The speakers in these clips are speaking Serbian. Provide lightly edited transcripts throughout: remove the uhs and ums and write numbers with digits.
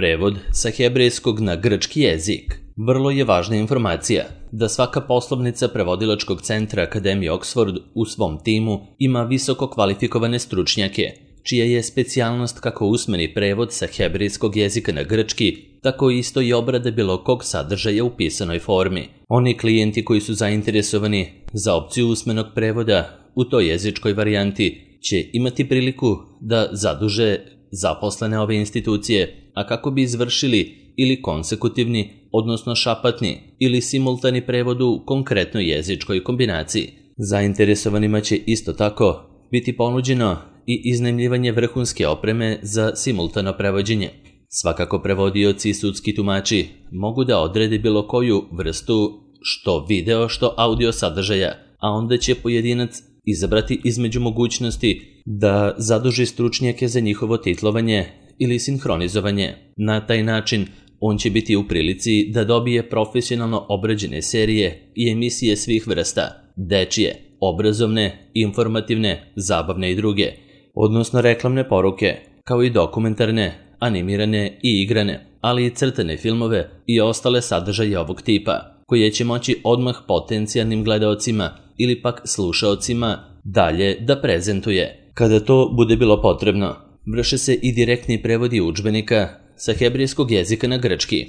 Prevod sa hebrejskog na grčki jezik. Vrlo je važna informacija da svaka poslovnica prevodilačkog centra Akademije Oxford u svom timu ima visoko kvalifikovane stručnjake, čija je specijalnost kako usmeni prevod sa hebrejskog jezika na grčki, tako isto i obrada bilo kog sadržaja u pisanoj formi. Oni klijenti koji su zainteresovani za opciju usmenog prevoda u toj jezičkoj varijanti će imati priliku da zaduže zaposlene ove institucije, a kako bi izvršili ili konsekutivni, odnosno šapatni ili simultani prevod u konkretnoj jezičkoj kombinaciji. Zainteresovanima će isto tako biti ponuđeno i iznajmljivanje vrhunske opreme za simultano prevođenje. Svakako prevodioci i sudski tumači mogu da odrede bilo koju vrstu što video što audio sadržaja, a onda će pojedinac izabrati između mogućnosti da zaduži stručnjake za njihovo titlovanje ili sinhronizovanje. Na taj način on će biti u prilici da dobije profesionalno obrađene serije i emisije svih vrsta, dečije, obrazovne, informativne, zabavne i druge, odnosno reklamne poruke, kao i dokumentarne, animirane i igrane, ali i crtane filmove i ostale sadržaje ovog tipa, koje će moći odmah potencijalnim gledaocima ili pak slušaocima dalje da prezentuje. Kada to bude bilo potrebno, vrše se i direktni prevodi udžbenika sa hebrejskog jezika na grčki,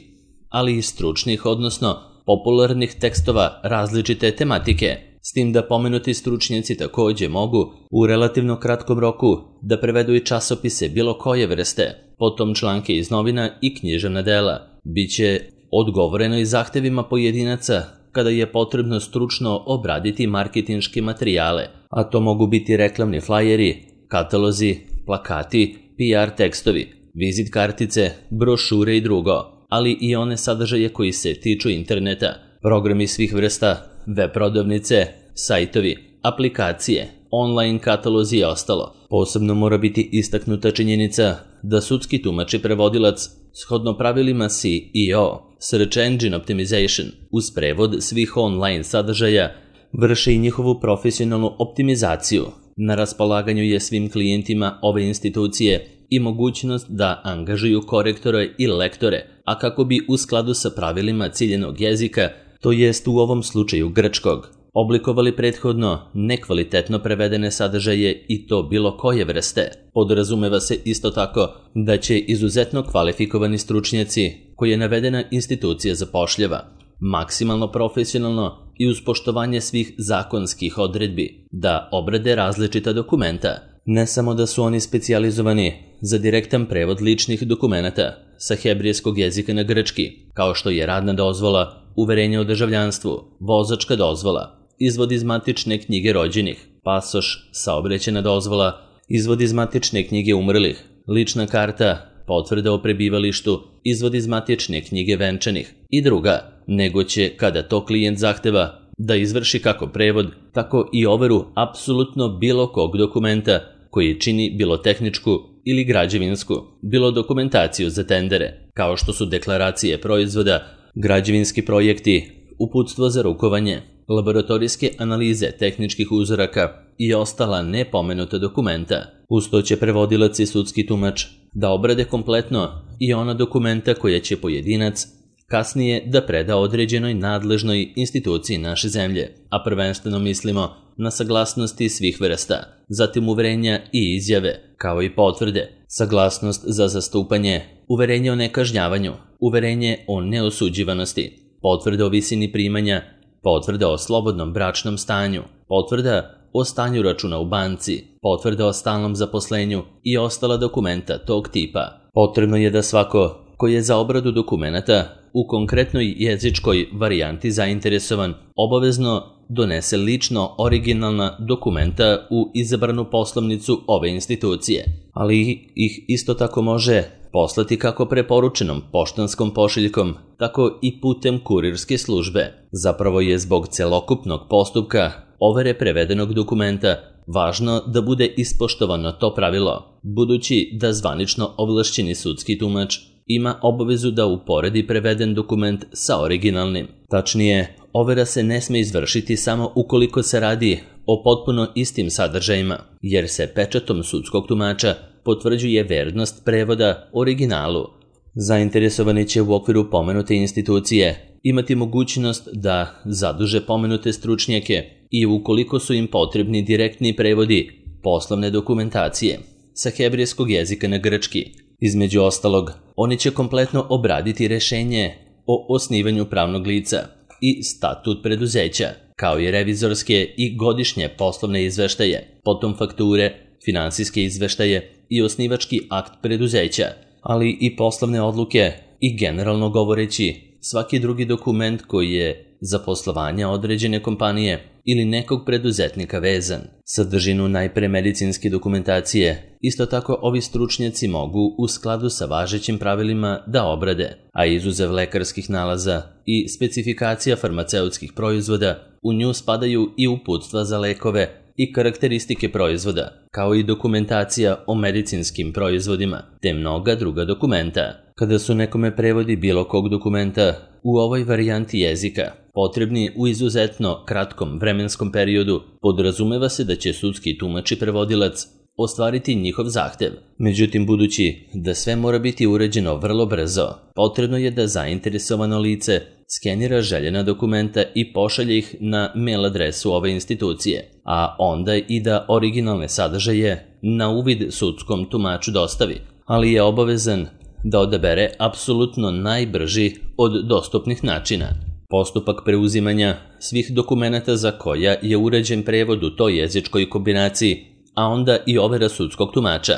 ali i stručnih, odnosno popularnih tekstova različite tematike, s tim da pomenuti stručnjaci takođe mogu u relativno kratkom roku da prevedu i časopise bilo koje vrste, potom članke iz novina i književna dela. Biće odgovoreno i zahtevima pojedinaca kada je potrebno stručno obraditi marketinške materijale, a to mogu biti reklamni flajeri, katalozi, plakati, PR tekstovi, vizit kartice, brošure i drugo, ali i one sadržaje koji se tiču interneta, programi svih vrsta, web prodavnice, sajtovi, aplikacije, online katalozi i ostalo. Posebno mora biti istaknuta činjenica da sudski tumač i prevodilac shodno pravilima SEO, Search Engine Optimization, uz prevod svih online sadržaja, vrše i njihovu profesionalnu optimizaciju. Na raspolaganju je svim klijentima ove institucije i mogućnost da angažuju korektore i lektore, a kako bi u skladu sa pravilima ciljenog jezika, to jest u ovom slučaju grčkog, oblikovali prethodno nekvalitetno prevedene sadržaje i to bilo koje vrste. Podrazumeva se isto tako da će izuzetno kvalifikovani stručnjaci koje navedena institucija zapošljava, maksimalno profesionalno i uz poštovanje svih zakonskih odredbi, da obrade različita dokumenta. Ne samo da su oni specijalizovani za direktan prevod ličnih dokumenata sa hebrejskog jezika na grčki, kao što je radna dozvola, uverenje o državljanstvu, vozačka dozvola, izvod iz matične knjige rođenih, pasoš, saobraćajna dozvola, izvod iz matične knjige umrlih, lična karta, potvrda o prebivalištu, izvod iz matične knjige venčanih i druga, nego će, kada to klijent zahteva, da izvrši kako prevod, tako i overu apsolutno bilo kog dokumenta koji čini bilo tehničku ili građevinsku, bilo dokumentaciju za tendere, kao što su deklaracije proizvoda, građevinski projekti, uputstvo za rukovanje, laboratorijske analize tehničkih uzoraka i ostala nepomenuta dokumenta. Uz to će prevodilac i sudski tumač da obrade kompletno i ona dokumenta koja će pojedinac kasnije da preda određenoj nadležnoj instituciji naše zemlje, a prvenstveno mislimo na saglasnosti svih vrsta, zatim uverenja i izjave, kao i potvrde, saglasnost za zastupanje, uverenje o nekažnjavanju, uverenje o neosuđivanosti, potvrda o visini primanja, potvrda o slobodnom bračnom stanju, potvrda o stanju računa u banci, potvrda o stalnom zaposlenju i ostala dokumenta tog tipa. Potrebno je da svako ko je za obradu dokumenata u konkretnoj jezičkoj varijanti zainteresovan obavezno donese lično originalna dokumenta u izabranu poslovnicu ove institucije, ali ih isto tako može poslati kako preporučenom poštanskom pošiljkom, tako i putem kurirske službe. Zapravo je zbog celokupnog postupka overe prevedenog dokumenta važno da bude ispoštovano to pravilo, budući da zvanično ovlašćeni sudski tumač ima obavezu da uporedi preveden dokument sa originalnim. Tačnije, overa se ne sme izvršiti samo ukoliko se radi o potpuno istim sadržajima, jer se pečatom sudskog tumača potvrđuje vernost prevoda originalu, Zainteresovani će u okviru pomenute institucije imati mogućnost da zaduže pomenute stručnjake i ukoliko su im potrebni direktni prevodi poslovne dokumentacije sa hebrejskog jezika na grčki. Između ostalog, oni će kompletno obraditi rešenje o osnivanju pravnog lica i statut preduzeća, kao i revizorske i godišnje poslovne izveštaje, potom fakture, finansijske izveštaje i osnivački akt preduzeća, ali i poslovne odluke i generalno govoreći svaki drugi dokument koji je za poslovanje određene kompanije ili nekog preduzetnika vezan. Sadržinu najpre medicinske dokumentacije isto tako ovi stručnjaci mogu u skladu sa važećim pravilima da obrade, a izuzev lekarskih nalaza i specifikacija farmaceutskih proizvoda, u nju spadaju i uputstva za lekove i karakteristike proizvoda, kao i dokumentacija o medicinskim proizvodima, te mnoga druga dokumenta. Kada su nekome prevodi bilo kog dokumenta u ovoj varijanti jezika potrebni u izuzetno kratkom vremenskom periodu, podrazumeva se da će sudski tumač i prevodilac ostvariti njihov zahtev. Međutim, budući da sve mora biti uređeno vrlo brzo, potrebno je da zainteresovano lice skenira željena dokumenta i pošalje ih na mail adresu ove institucije, a onda i da originalne sadržaje na uvid sudskom tumaču dostavi, ali je obavezan da odabere apsolutno najbrži od dostupnih načina. Postupak preuzimanja svih dokumenata za koja je uređen prevod u toj jezičkoj kombinaciji, a onda i overa sudskog tumača,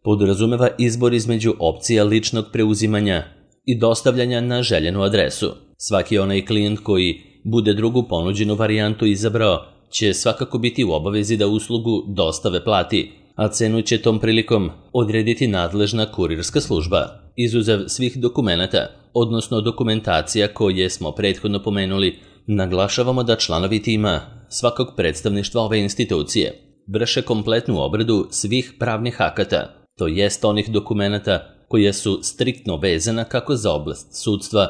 podrazumeva izbor između opcija ličnog preuzimanja i dostavljanja na željenu adresu. Svaki onaj klijent koji bude drugu ponuđenu varijantu izabrao će svakako biti u obavezi da uslugu dostave plati, a cenu će tom prilikom odrediti nadležna kurirska služba. Izuzev svih dokumenata, odnosno dokumentacija koje smo prethodno pomenuli, naglašavamo da članovi tima svakog predstavništva ove institucije vrše kompletnu obradu svih pravnih akata, to jest onih dokumenata koje su striktno vezana kako za oblast sudstva,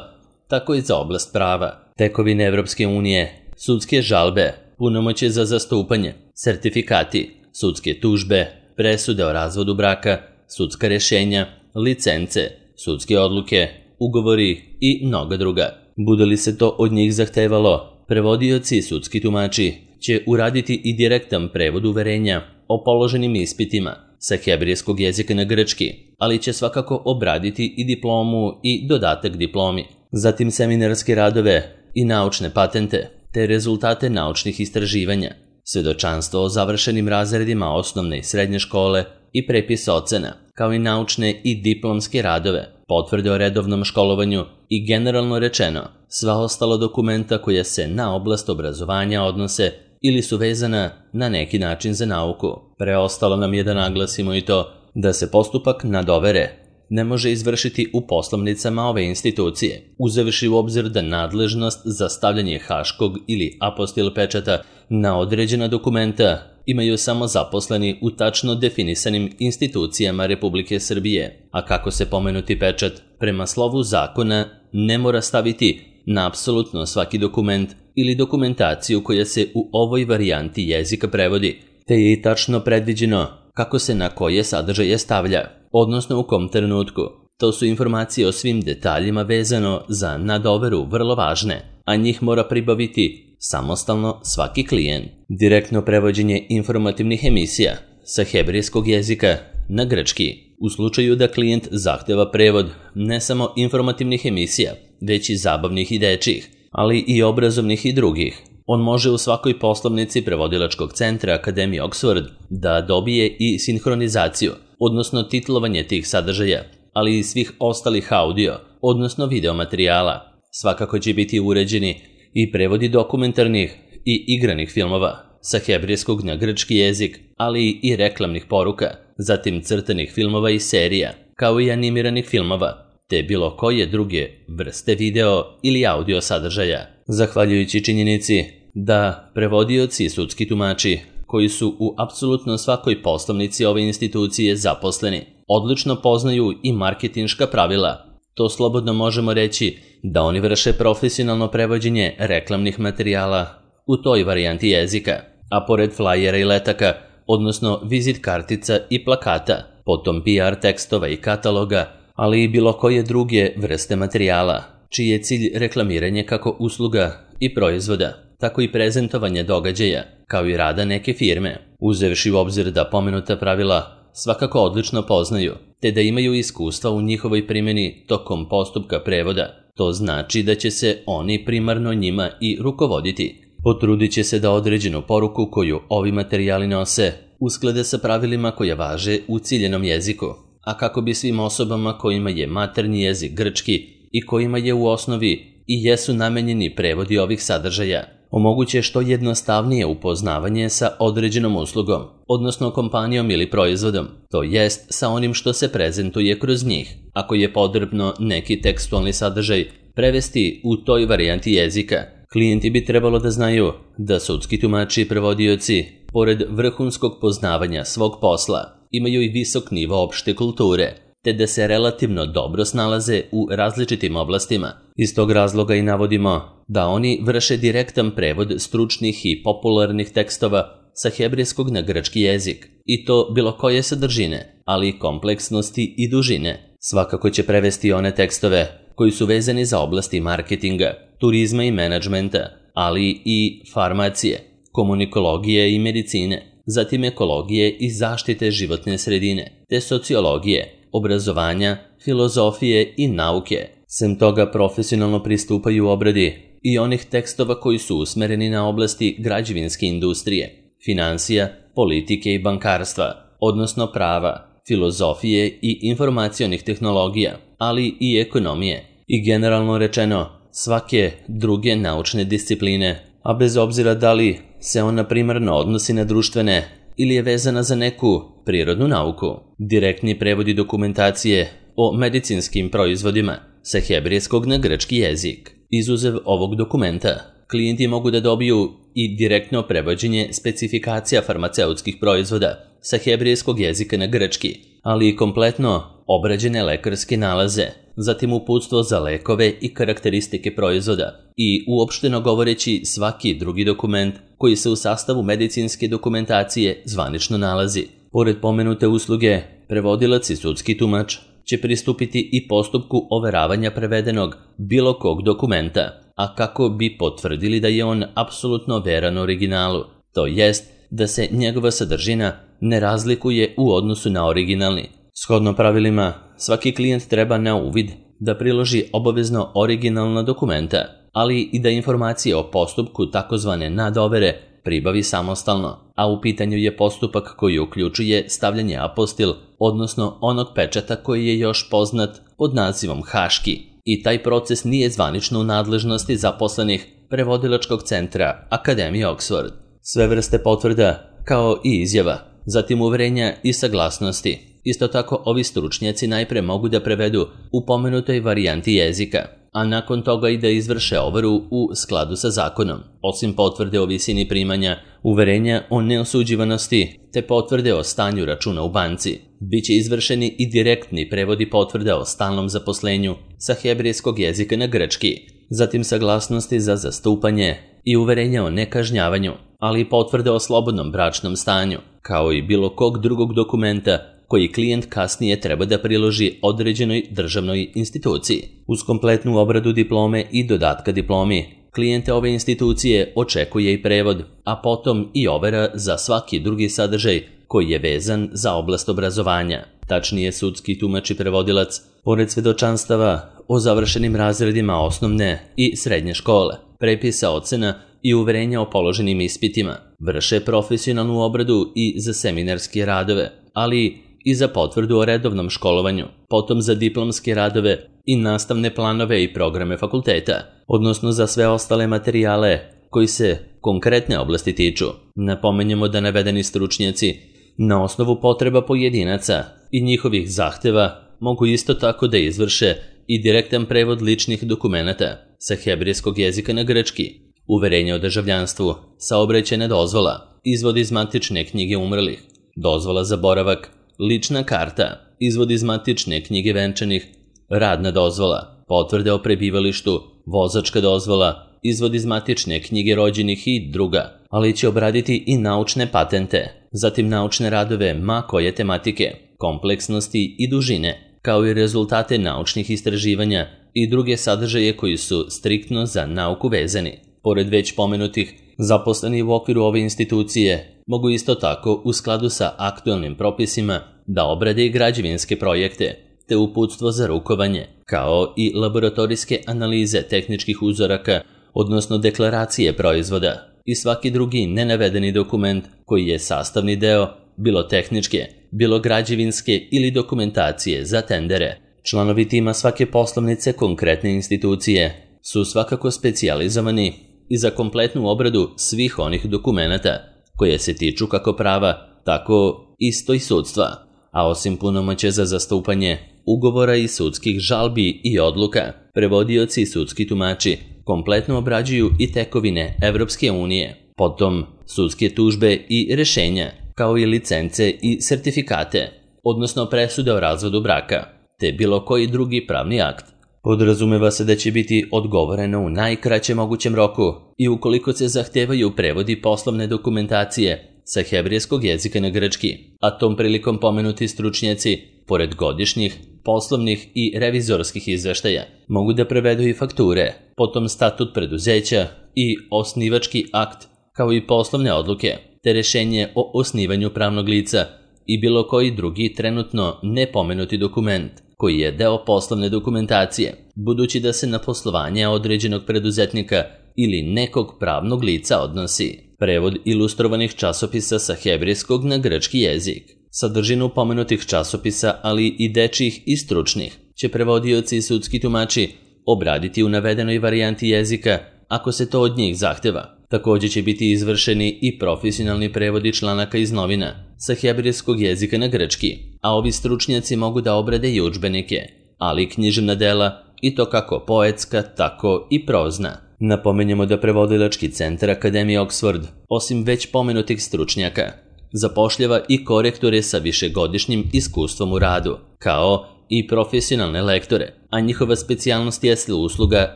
tako i za oblast prava, tekovine Evropske unije, sudske žalbe, punomoćje za zastupanje, sertifikati, sudske tužbe, presude o razvodu braka, sudska rješenja, licence, sudske odluke, ugovori i mnoga druga. Bude li se to od njih zahtevalo, prevodioci i sudski tumači će uraditi i direktan prevod uverenja o položenim ispitima sa hebrejskog jezika na grčki, ali će svakako obraditi i diplomu i dodatak diplomi, zatim seminarske radove i naučne patente, te rezultate naučnih istraživanja, svedočanstvo o završenim razredima osnovne i srednje škole i prepis ocena, kao i naučne i diplomske radove, potvrde o redovnom školovanju i generalno rečeno sva ostala dokumenta koja se na oblast obrazovanja odnose ili su vezana na neki način za nauku. Preostalo nam je da naglasimo i to da se postupak nadovere ne može izvršiti u poslovnicama ove institucije, uzevši u obzir da nadležnost za stavljanje haškog ili apostil pečata na određena dokumenta imaju samo zaposleni u tačno definisanim institucijama Republike Srbije, a kako se pomenuti pečat prema slovu zakona ne mora staviti na apsolutno svaki dokument ili dokumentaciju koja se u ovoj varijanti jezika prevodi, te je i tačno predviđeno kako se na koje sadržaje stavlja, odnosno u kom trenutku. To su informacije o svim detaljima vezano za nadoveru vrlo važne, a njih mora pribaviti samostalno svaki klijent. Direktno prevođenje informativnih emisija sa hebrejskog jezika na grčki. U slučaju da klijent zahteva prevod ne samo informativnih emisija, već i zabavnih i dečjih, ali i obrazovnih i drugih, on može u svakoj poslovnici prevodilačkog centra Akademije Oxford da dobije i sinhronizaciju, odnosno titlovanje tih sadržaja, ali i svih ostalih audio, odnosno video materijala. Svakako će biti uređeni i prevodi dokumentarnih i igranih filmova sa hebrejskog na grčki jezik, ali i reklamnih poruka, zatim crtanih filmova i serija, kao i animiranih filmova, te bilo koje druge vrste video ili audio sadržaja. Zahvaljujući činjenici da prevodioci i sudski tumači, koji su u apsolutno svakoj poslovnici ove institucije zaposleni, odlično poznaju i marketinška pravila, to slobodno možemo reći da oni vrše profesionalno prevođenje reklamnih materijala u toj varijanti jezika, a pored flajera i letaka, odnosno vizit kartica i plakata, potom PR tekstova i kataloga, ali i bilo koje druge vrste materijala, čiji je cilj reklamiranje kako usluga i proizvoda, tako i prezentovanje događaja, kao i rada neke firme, uzevši u obzir da pomenuta pravila svakako odlično poznaju, te da imaju iskustva u njihovoj primjeni tokom postupka prevoda. To znači da će se oni primarno njima i rukovoditi. Potrudit će se da određenu poruku koju ovi materijali nose usklade sa pravilima koja važe u ciljenom jeziku, a kako bi svim osobama kojima je maternji jezik grčki i kojima je u osnovi i jesu namenjeni prevodi ovih sadržaja, omoguće što jednostavnije upoznavanje sa određenom uslugom, odnosno kompanijom ili proizvodom, to jest sa onim što se prezentuje kroz njih. Ako je potrebno neki tekstualni sadržaj prevesti u toj varijanti jezika, klijenti bi trebalo da znaju da sudski tumači i prevodioci, pored vrhunskog poznavanja svog posla, imaju i visok nivo opšte kulture, te da se relativno dobro snalaze u različitim oblastima. Iz tog razloga i navodimo da oni vrše direktan prevod stručnih i popularnih tekstova sa hebrejskog na grčki jezik, i to bilo koje sadržine, ali i kompleksnosti i dužine. Svakako će prevesti one tekstove koji su vezani za oblasti marketinga, turizma i menadžmenta, ali i farmacije, komunikologije i medicine, zatim ekologije i zaštite životne sredine, te sociologije, obrazovanja, filozofije i nauke. Sem toga profesionalno pristupaju obradi i onih tekstova koji su usmereni na oblasti građevinske industrije, finansija, politike i bankarstva, odnosno prava, filozofije i informacionih tehnologija, ali i ekonomije, i generalno rečeno svake druge naučne discipline, a bez obzira da li se ona primarno odnosi na društvene ili je vezana za neku prirodnu nauku. Direktni prevodi dokumentacije o medicinskim proizvodima sa hebrejskog na grčki jezik. Izuzev ovog dokumenta, klijenti mogu da dobiju i direktno prevođenje specifikacija farmaceutskih proizvoda sa hebrejskog jezika na grčki, ali i kompletno obrađene lekarske nalaze, zatim uputstvo za lekove i karakteristike proizvoda i uopšteno govoreći svaki drugi dokument koji se u sastavu medicinske dokumentacije zvanično nalazi. Pored pomenute usluge, prevodilac i sudski tumač će pristupiti i postupku overavanja prevedenog bilo kog dokumenta, a kako bi potvrdili da je on apsolutno veran originalu, to jest da se njegova sadržina ne razlikuje u odnosu na originalni. Shodno pravilima, svaki klijent treba na uvid da priloži obavezno originalna dokumenta, ali i da informacije o postupku takozvane nadovere pribavi samostalno, a u pitanju je postupak koji uključuje stavljanje apostil, odnosno onog pečata koji je još poznat pod nazivom haški, i taj proces nije zvanično u nadležnosti zaposlenih prevodilačkog centra Akademije Oxford. Sve vrste potvrda, kao i izjava, zatim uverenja i saglasnosti. Isto tako, ovi stručnjaci najpre mogu da prevedu u pomenutoj varijanti jezika, a nakon toga i da izvrše overu u skladu sa zakonom. Osim potvrde o visini primanja, uverenja o neosuđivanosti te potvrde o stanju računa u banci, biće izvršeni i direktni prevodi potvrde o stalnom zaposlenju sa hebrejskog jezika na grčki, zatim saglasnosti za zastupanje i uverenja o nekažnjavanju, ali i potvrde o slobodnom bračnom stanju, kao i bilo kog drugog dokumenta koji klijent kasnije treba da priloži određenoj državnoj instituciji. Uz kompletnu obradu diplome i dodatka diplomi, klijente ove institucije očekuje i prevod, a potom i overa za svaki drugi sadržaj koji je vezan za oblast obrazovanja. Tačnije, sudski tumač i prevodilac, pored svedočanstava o završenim razredima osnovne i srednje škole, prepisa ocena i uverenja o položenim ispitima, vrše profesionalnu obradu i za seminarske radove, ali i za potvrdu o redovnom školovanju, potom za diplomske radove i nastavne planove i programe fakulteta, odnosno za sve ostale materijale koji se konkretne oblasti tiču. Napomenjemo da navedeni stručnjaci na osnovu potreba pojedinaca i njihovih zahteva mogu isto tako da izvrše i direktan prevod ličnih dokumenata sa hebrejskog jezika na grčki, uverenje o državljanstvu, saobraćajna dozvola, izvod iz matične knjige umrlih, dozvola za boravak, lična karta, izvod iz matične knjige venčanih, radna dozvola, potvrde o prebivalištu, vozačka dozvola, izvod iz matične knjige rođenih i druga, ali će obraditi i naučne patente, zatim naučne radove ma koje tematike, kompleksnosti i dužine, kao i rezultate naučnih istraživanja i druge sadržaje koji su striktno za nauku vezani. Pored već pomenutih, zaposleni u okviru ove institucije mogu isto tako u skladu sa aktualnim propisima da obrade i građevinske projekte, te uputstvo za rukovanje, kao i laboratorijske analize tehničkih uzoraka, odnosno deklaracije proizvoda i svaki drugi nenavedeni dokument koji je sastavni deo bilo tehničke, bilo građevinske ili dokumentacije za tendere. Članovi tima svake poslovnice konkretne institucije su svakako specijalizovani i za kompletnu obradu svih onih dokumenata koje se tiču kako prava, tako isto i sudstva, a osim punomoćja za zastupanje, ugovora i sudskih žalbi i odluka, prevodioci i sudski tumači kompletno obrađuju i tekovine Evropske unije, potom sudske tužbe i rešenja, kao i licence i sertifikate, odnosno presude o razvodu braka, te bilo koji drugi pravni akt. Podrazumeva se da će biti odgovoreno u najkraćem mogućem roku i ukoliko se zahtevaju prevodi poslovne dokumentacije sa hebrejskog jezika na grčki, a tom prilikom pomenuti stručnjaci, pored godišnjih, poslovnih i revizorskih izveštaja, mogu da prevedu i fakture, potom statut preduzeća i osnivački akt, kao i poslovne odluke, te rešenje o osnivanju pravnog lica i bilo koji drugi trenutno nepomenuti dokument koji je deo poslovne dokumentacije, budući da se na poslovanje određenog preduzetnika ili nekog pravnog lica odnosi. Prevod ilustrovanih časopisa sa hebrejskog na grčki jezik. Sadržinu pomenutih časopisa, ali i dečjih i stručnih, će prevodioci i sudski tumači obraditi u navedenoj varijanti jezika ako se to od njih zahteva. Također će biti izvršeni i profesionalni prevodi članaka iz novina sa hebrejskog jezika na grčki, a ovi stručnjaci mogu da obrade i udžbenike, ali i književna dela, i to kako poetska, tako i prozna. Napomenjemo da prevodilački centar Akademije Oxford, osim već pomenutih stručnjaka, zapošljava i korektore sa višegodišnjim iskustvom u radu, kao i profesionalne lektore, a njihova specijalnost jeste usluga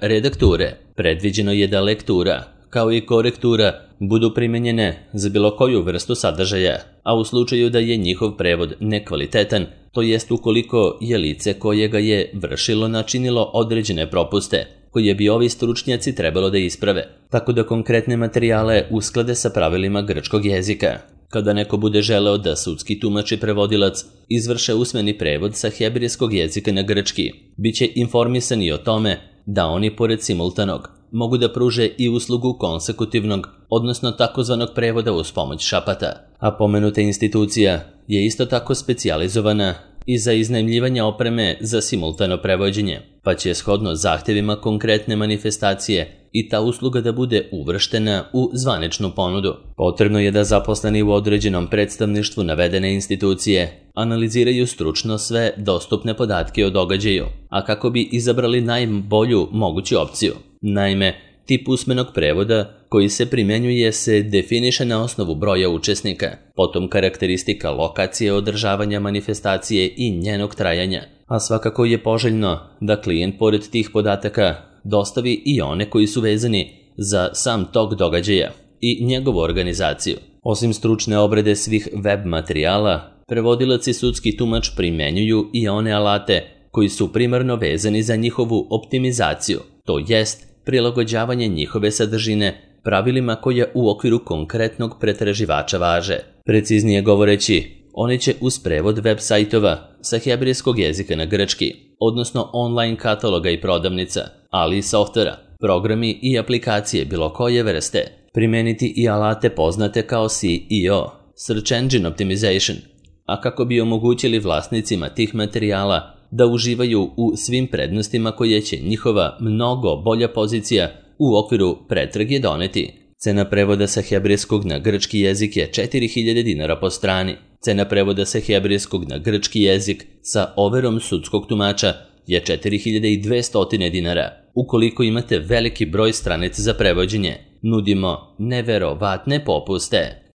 redakture. Predviđeno je da lektura, kao i korektura, budu primenjene za bilo koju vrstu sadržaja, a u slučaju da je njihov prevod nekvalitetan, to jest ukoliko je lice koje ga je vršilo načinilo određene propuste, koje bi ovi stručnjaci trebalo da isprave, tako da konkretne materijale usklade sa pravilima grčkog jezika. Kada neko bude želeo da sudski tumač i prevodilac izvrše usmeni prevod sa hebrejskog jezika na grčki, bit će informisani o tome da oni pored simultanog mogu da pruže i uslugu konsekutivnog, odnosno takozvanog prevoda uz pomoć šapata, a pomenuta institucija je isto tako specijalizovana i za iznajmljivanje opreme za simultano prevođenje, pa će shodno zahtevima konkretne manifestacije i ta usluga da bude uvrštena u zvaničnu ponudu. Potrebno je da zaposleni u određenom predstavništvu navedene institucije analiziraju stručno sve dostupne podatke o događaju, a kako bi izabrali najbolju moguću opciju. Naime, tip usmenog prevoda koji se primenjuje se definiše na osnovu broja učesnika, potom karakteristika lokacije održavanja manifestacije i njenog trajanja, a svakako je poželjno da klijent pored tih podataka dostavi i one koji su vezani za sam tok događaja i njegovu organizaciju. Osim stručne obrade svih web materijala, prevodilac i sudski tumač primenjuju i one alate koji su primarno vezani za njihovu optimizaciju, to jest prilagođavanje njihove sadržine pravilima koje u okviru konkretnog pretraživača važe. Preciznije govoreći, oni će uz prevod web sajtova sa hebrejskog jezika na grčki, odnosno online kataloga i prodavnica, ali i softvera, programi i aplikacije bilo koje vrste, primeniti i alate poznate kao SEO, Search Engine Optimization, a kako bi omogućili vlasnicima tih materijala da uživaju u svim prednostima koje će njihova mnogo bolja pozicija u okviru pretrage doneti. Cena prevoda sa hebrejskog na grčki jezik je 4000 dinara po strani. Cena prevoda sa hebrejskog na grčki jezik sa overom sudskog tumača je 4200 dinara. Ukoliko imate veliki broj stranica za prevođenje, nudimo neverovatne popuste.